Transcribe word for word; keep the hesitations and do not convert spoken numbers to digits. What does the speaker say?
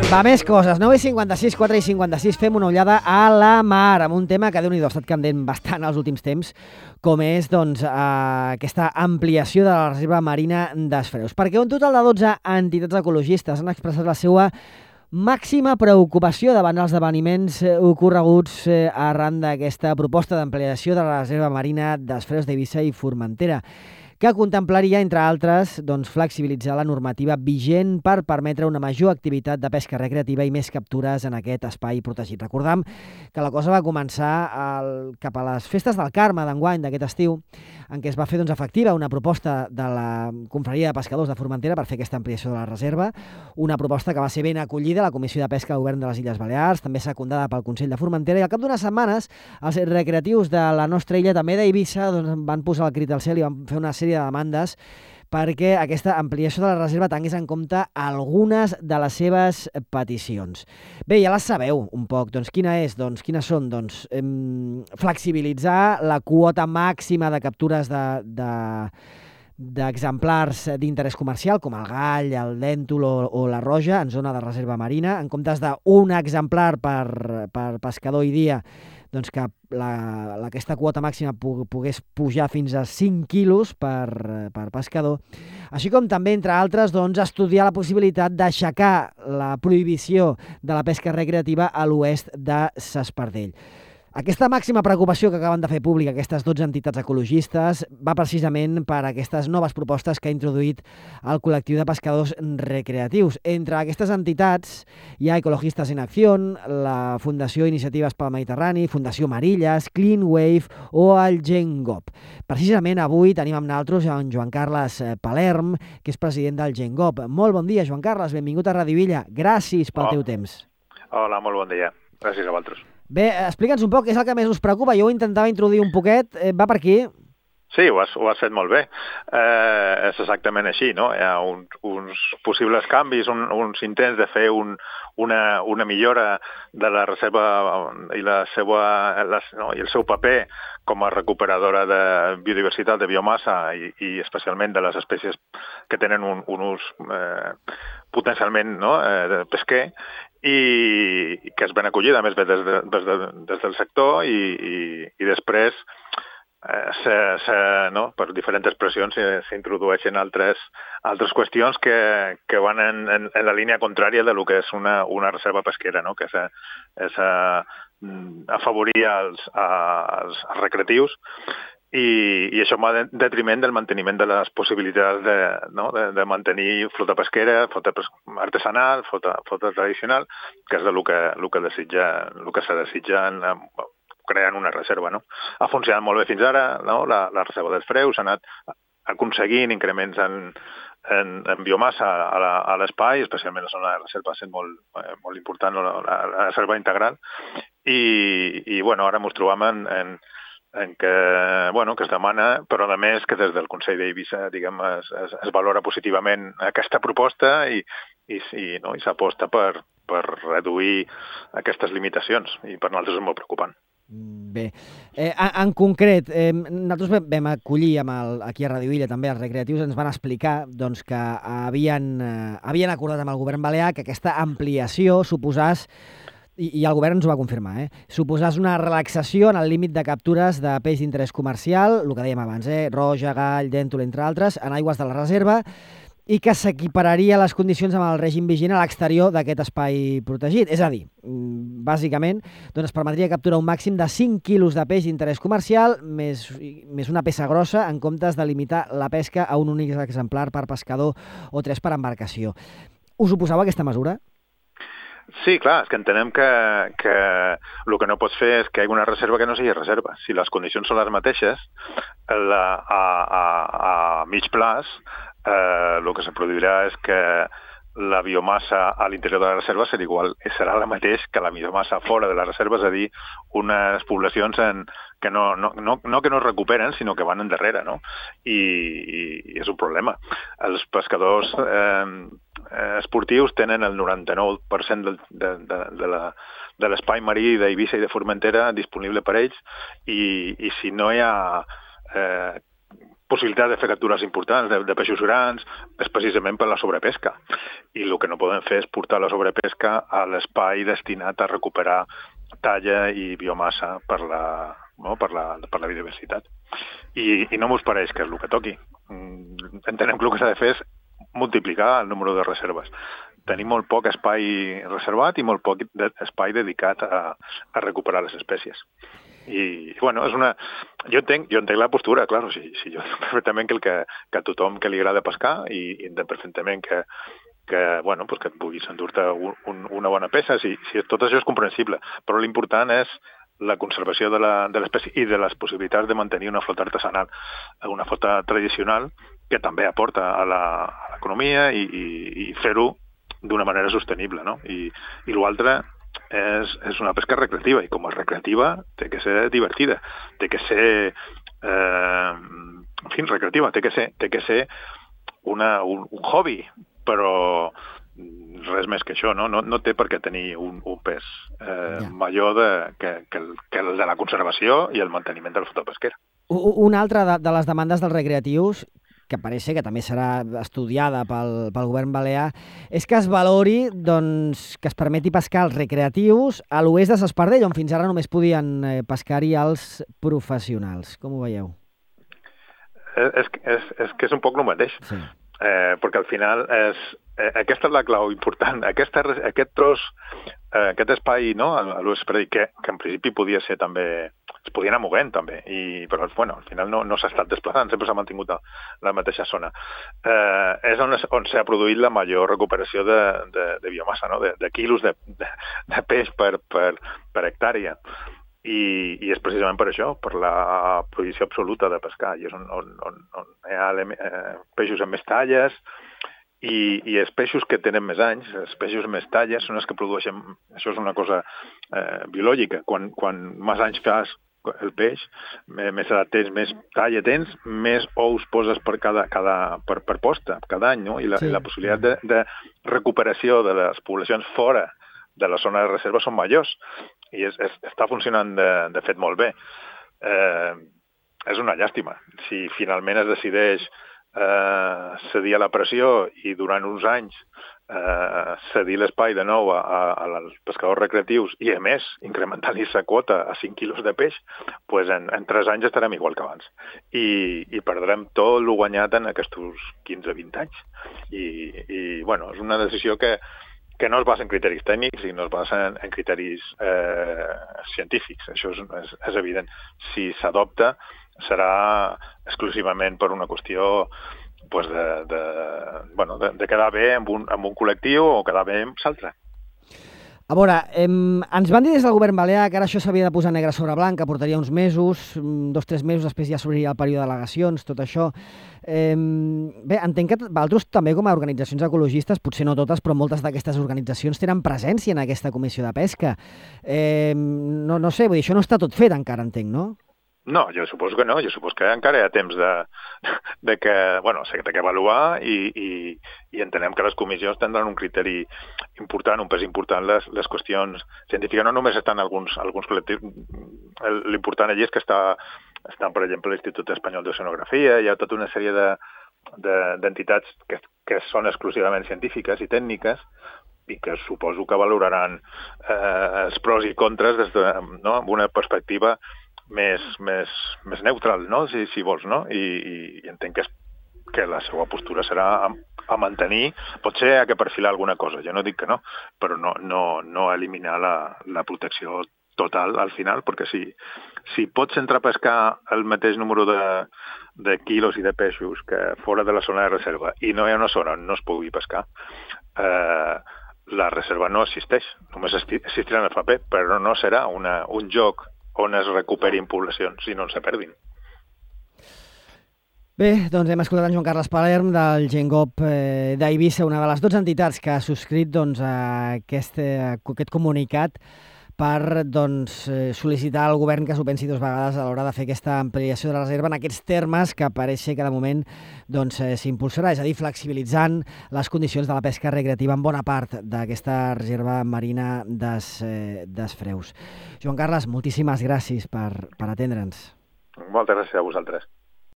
Va, més coses. nou i cinquanta-sis, quatre i cinquanta-sis, fem una ullada a la mar, amb un tema que Déu-n'hi-do ha estat candent bastant els últims temps, com és doncs, eh, aquesta ampliació de la reserva marina d'Esfreus. Perquè un total de dotze entitats ecologistes han expressat la seva màxima preocupació davant els esdeveniments ocorreguts eh, arran d'aquesta proposta d'ampliació de la reserva marina d'Esfreus d'Eivissa i Formentera, que contemplaria, entre altres, doncs, flexibilitzar la normativa vigent per permetre una major activitat de pesca recreativa i més captures en aquest espai protegit. Recordam que la cosa va començar el, cap a les festes del Carme d'enguany, d'aquest estiu, en què es va fer doncs, efectiva una proposta de la Confraria de Pescadors de Formentera per fer aquesta ampliació de la reserva, una proposta que va ser ben acollida a la Comissió de Pesca del Govern de les Illes Balears, també secundada pel Consell de Formentera, i al cap d'unes setmanes els recreatius de la nostra illa, també d'Eivissa, doncs, van posar el crit al cel i van fer una sèrie de demandes perquè aquesta ampliació de la reserva tingués en compte algunes de les seves peticions. Bé, ja les sabeu un poc. Doncs quina és? Doncs quines són? Doncs em, flexibilitzar la quota màxima de captures de, de, d'exemplars d'interès comercial, com el gall, el dèntol o, o la roja, en zona de reserva marina, en comptes d'un exemplar per, per pescador i dia, doncs que la, la, aquesta quota màxima pogués pujar fins a cinc quilos per, per pescador, així com també, entre altres, doncs, estudiar la possibilitat d'aixecar la prohibició de la pesca recreativa a l'oest de s'Espardell. Aquesta màxima preocupació que acaben de fer pública aquestes dotze entitats ecologistes va precisament per aquestes noves propostes que ha introduït el col·lectiu de pescadors recreatius. Entre aquestes entitats hi ha Ecologistes en Acció, la Fundació Iniciatives pel Mediterrani, Fundació Marillas, Clean Wave o el Gengop. Precisament avui tenim amb nosaltres en Joan Carles Palerm, que és president del Gengop. Molt bon dia, Joan Carles, benvingut a Radio Villa. Gràcies pel oh. teu temps. Hola, molt bon dia. Gràcies a vosaltres. Bé, explica'ns un poc, és el que més us preocupa. Jo ho intentava introduir un poquet. Eh, va per aquí? Sí, ho has, ho has fet molt bé. Eh, és exactament així, no? Hi ha uns, uns possibles canvis, un, uns intents de fer un, una, una millora de la reserva i, la seva, la, no? i el seu paper com a recuperadora de biodiversitat, de biomassa i, i especialment de les espècies que tenen un, un ús eh, potencialment no? eh, pesquer, i que és ben acollida, a més, des, de, des, de, des del sector i, i, i després eh, se, se, no? per diferents expressions s'introdueixen altres, altres qüestions que, que van en, en, en la línia contrària de lo que és una, una reserva pesquera, no? que és, és a, afavorir els, als, als recreatius. I, i això va en detriment del manteniment de les possibilitats de, no? de, de mantenir flota pesquera, flota artesanal, flota, flota tradicional, que és el que, el que, desitja, el que se desitja en, creant una reserva. No? Ha funcionat molt bé fins ara, no? la, la reserva dels freus, ha anat aconseguint increments en, en, en biomassa a l'espai, especialment la zona de reserva sent molt, eh, molt important, la, la reserva integral, i, i bueno, ara ens trobem en, en en què, bueno, que es demana, però a més que des del Consell d'Eivissa diguem, es, es, es valora positivament aquesta proposta i, i, i, no, i s'aposta per, per reduir aquestes limitacions i per nosaltres és molt preocupant. Bé, eh, en, en concret, eh, nosaltres vam acollir amb el, aquí a Radio Villa també els recreatius, ens van explicar doncs, que havien, eh, havien acordat amb el govern balear que aquesta ampliació suposàs I, i el govern ens ho va confirmar, eh? suposàs una relaxació en el límit de captures de peix d'interès comercial, el que dèiem abans, eh? roja, gall, dèntol, entre altres, en aigües de la reserva, i que s'equipararia les condicions amb el règim vigent a l'exterior d'aquest espai protegit. És a dir, bàsicament, doncs es permetria capturar un màxim de cinc quilos de peix d'interès comercial més, més una peça grossa en comptes de limitar la pesca a un únic exemplar per pescador o tres per embarcació. Us oposeu a aquesta mesura? Sí, clar, és que entenem que, que el que no pots fer és que hi hagi una reserva que no sigui reserva. Si les condicions són les mateixes, la, a, a, a mig plaç, eh, el que se produirà és que la biomassa a l'interior de la reserva serà igual, serà la mateix que la biomassa fora de la reserva, és a dir, unes poblacions en, que no, no, no, no que no es recuperen, sinó que van endarrere, no? I, i, i és un problema. Els pescadors eh, esportius tenen el noranta-nou per cent de, de, de, de la de l'espai marí d'Eivissa i de Formentera disponible per ells i, i si no hi ha eh, possibilitat de fer captures importants de, de peixos grans és precisament per la sobrepesca. I el que no podem fer és portar la sobrepesca a l'espai destinat a recuperar talla i biomassa per la, no? per la, per la biodiversitat. I, i no m'us pareix que és el que toqui. Entenem que el que s'ha de fer és multiplicar el número de reserves. Tenim molt poc espai reservat i molt poc de, espai dedicat a, a recuperar les espècies. I, bueno, és una... Jo entenc, jo entenc la postura, clar, o sigui, si jo perfectament que, el que, que a tothom que li agrada pescar i, i entenc perfectament que, que, bueno, pues que et puguis endur-te un, un, una bona peça, si, si tot això és comprensible, però l'important és la conservació de l'espècie i de les possibilitats de mantenir una flota artesanal, una flota tradicional que també aporta a l'economia i, i, i fer-ho d'una manera sostenible, no? I, i l'altre és, és una pesca recreativa, i com a recreativa té que ser divertida, té que ser eh, en fi, recreativa, té que ser, té que ser una, un, un hobby, però res més que això, no? No, no té per què tenir un, un pes eh, ja. major de, que, que, el, que el de la conservació i el manteniment de la flota pesquera. Una altra de, de les demandes dels recreatius, que pareix que també serà estudiada pel, pel govern balear, és que es valori doncs, que es permeti pescar els recreatius a l'oest de S'Espardell, on fins ara només podien pescar-hi els professionals. Com ho veieu? És, és, és que és un poc el mateix, sí. eh, perquè al final és, eh, aquesta és la clau important. Aquesta, aquest tros, eh, aquest espai, no, a l'oest S'Espardell, que, que en principi podia ser també... es podia anar movent també, i, però bueno, al final no, no s'ha estat desplaçant, sempre s'ha mantingut a la mateixa zona. Eh, és on, on s'ha produït la major recuperació de, de, de biomassa, no? de, de quilos de, de, de peix per, per, per hectàrea. I, I és precisament per això, per la prohibició absoluta de pescar. I és on, on, on, on hi ha eh, peixos amb més talles, i, i els peixos que tenen més anys, els peixos més talles, són els que produeixen... Això és una cosa eh, biològica. Quan, quan més anys fas el peix, més edat tens, més talla tens, més ous poses per, cada, cada, per, per posta, cada any, no? I la, sí. la possibilitat de, de recuperació de les poblacions fora de la zona de reserva són majors, i és, és, està funcionant de, de fet molt bé. Eh, és una llàstima. Si finalment es decideix eh, cedir a la pressió i durant uns anys eh, cedir l'espai de nou a, a, als pescadors recreatius i, a més, incrementar-li la quota a cinc quilos de peix, pues en, en tres anys estarem igual que abans. I, i perdrem tot el guanyat en aquests quinze a vint anys. I, i bueno, és una decisió que, que no es basa en criteris tècnics i no es basa en, en criteris eh, científics. Això és, és, és evident. Si s'adopta, serà exclusivament per una qüestió pues de, de, bueno, de, de quedar bé amb un, amb un col·lectiu o quedar bé amb l'altre. A veure, eh, ens van dir des del govern balear que ara això s'havia de posar negre sobre blanc, que portaria uns mesos, dos, tres mesos, després ja s'obriria el període d'al·legacions, tot això. Eh, bé, entenc que vosaltres també com a organitzacions ecologistes, potser no totes, però moltes d'aquestes organitzacions tenen presència en aquesta comissió de pesca. Eh, no, no sé, vull dir, això no està tot fet encara, entenc, no? No, jo suposo que no. Jo suposo que encara hi ha temps de, de que, bueno, s'ha d'avaluar i, i, i entenem que les comissions tindran un criteri important, un pes important, les, les qüestions científiques. No només estan alguns, alguns col·lectius. L'important allí és que està, estan, per exemple, l'Institut Espanyol d'Oceanografia, hi ha tota una sèrie de, de, d'entitats que, que són exclusivament científiques i tècniques, i que suposo que valoraran eh, els pros i contres des de, no, amb una perspectiva més, més, més neutral, no? si, si vols, no? I, i, i entenc que, és, que la seva postura serà a, a mantenir, potser a que perfilar alguna cosa, jo no dic que no, però no, no, no eliminar la, la protecció total al final, perquè si, si pots entrar a pescar el mateix número de, de quilos i de peixos que fora de la zona de reserva i no hi ha una zona on no es pugui pescar, eh, la reserva no existeix, només existirà en el paper, però no serà una, un joc on es recuperin poblacions i no se perdin. Bé, doncs hem escoltat en Joan Carles Palerm del Gengop eh, d'Eivissa, una de les dotze entitats que ha subscrit doncs, aquest, aquest comunicat per doncs, sol·licitar al govern que s'ho pensi dues vegades a l'hora de fer aquesta ampliació de la reserva en aquests termes que pareix que de moment doncs, s'impulsarà, és a dir, flexibilitzant les condicions de la pesca recreativa en bona part d'aquesta reserva marina des, des Freus. Joan Carles, moltíssimes gràcies per, per atendre'ns. Moltes gràcies a vosaltres.